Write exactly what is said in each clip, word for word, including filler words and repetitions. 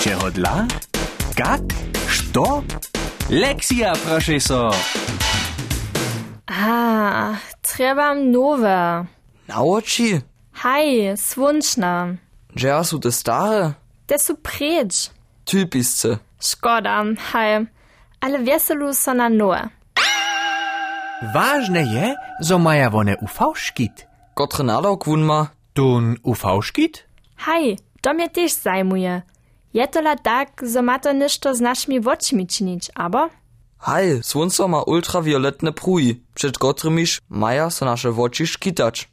Čehodla? Kak? Što? Lexia, prošej so. A, trjebam nowe. Na woči? Haj, słónčne. Dźeja su te stare? Te su preč. Typisce. Škoda. Haj, ale wjeselu so na nowe. Wažne je, zo maja wone uv škit. Kotry nadawk wón ma? Tón uv škit? Haj, to mje tež zajmuje. Je tola tak, zo ma to něšto z našimi wočimi činić, abo? Haj, słónco ma ultrawioletne pruhi, před kotrymiž maja so naše woči škitać.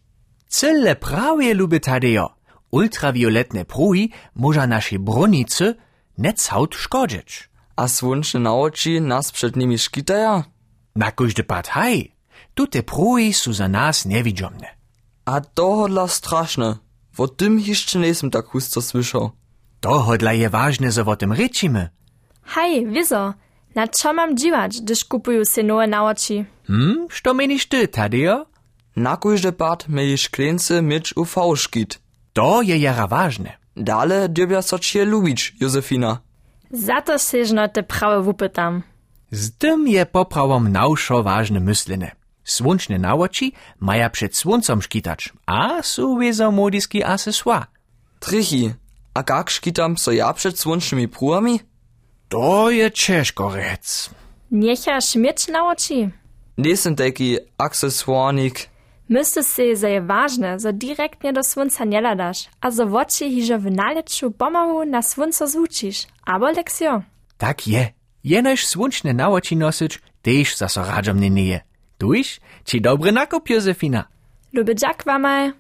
Cyle prawje, luby Tadejo. Ultrawioletne pruhi móža našej brónicy njećawt škodźeć. A słónčne nawoči nas před nimi škitaja? Na kóždy pad haj. Tute pruhi su za nas njewidźomne. A tohodla strašne. Wo tym hišće njejsym tak husto słyšał. Tohodla je wažne, zo wo tym rěčimy. Haj, wězo. Na čo mam dźiwać, hdyž kupuju sej nowe nawoči? Hm, što měniš ty, Tadejo? Na kóždy pad měli škleńcy měć uv škit. To je jara wažne. Dale dyrbja so ći je lubić, Józefina. Za to sej žno te prawy wupytam. Z tym je poprawom na wšo wažne myslene. Słónčne nawoči maja před słóncom škitać a su wězo młodiski accessoire. Trěchi, a kak škitam so ja před słónčnymi pruhami? To je ćežko rjec. Njechaš měć nawoči? Njejsym tajki accessoirnik. Mysliš sej, zo je wažne, zo direktnje do słónca njehladaš a zo woči hižo w nalěću pomału na słónco zwučiš, abo, Lexio? Tak je. Jenož słónčne nawoči nosyć tež zaso radźomnje njeje. Tuž ći dobry nakup, Józefina. Luby dźak wamaj.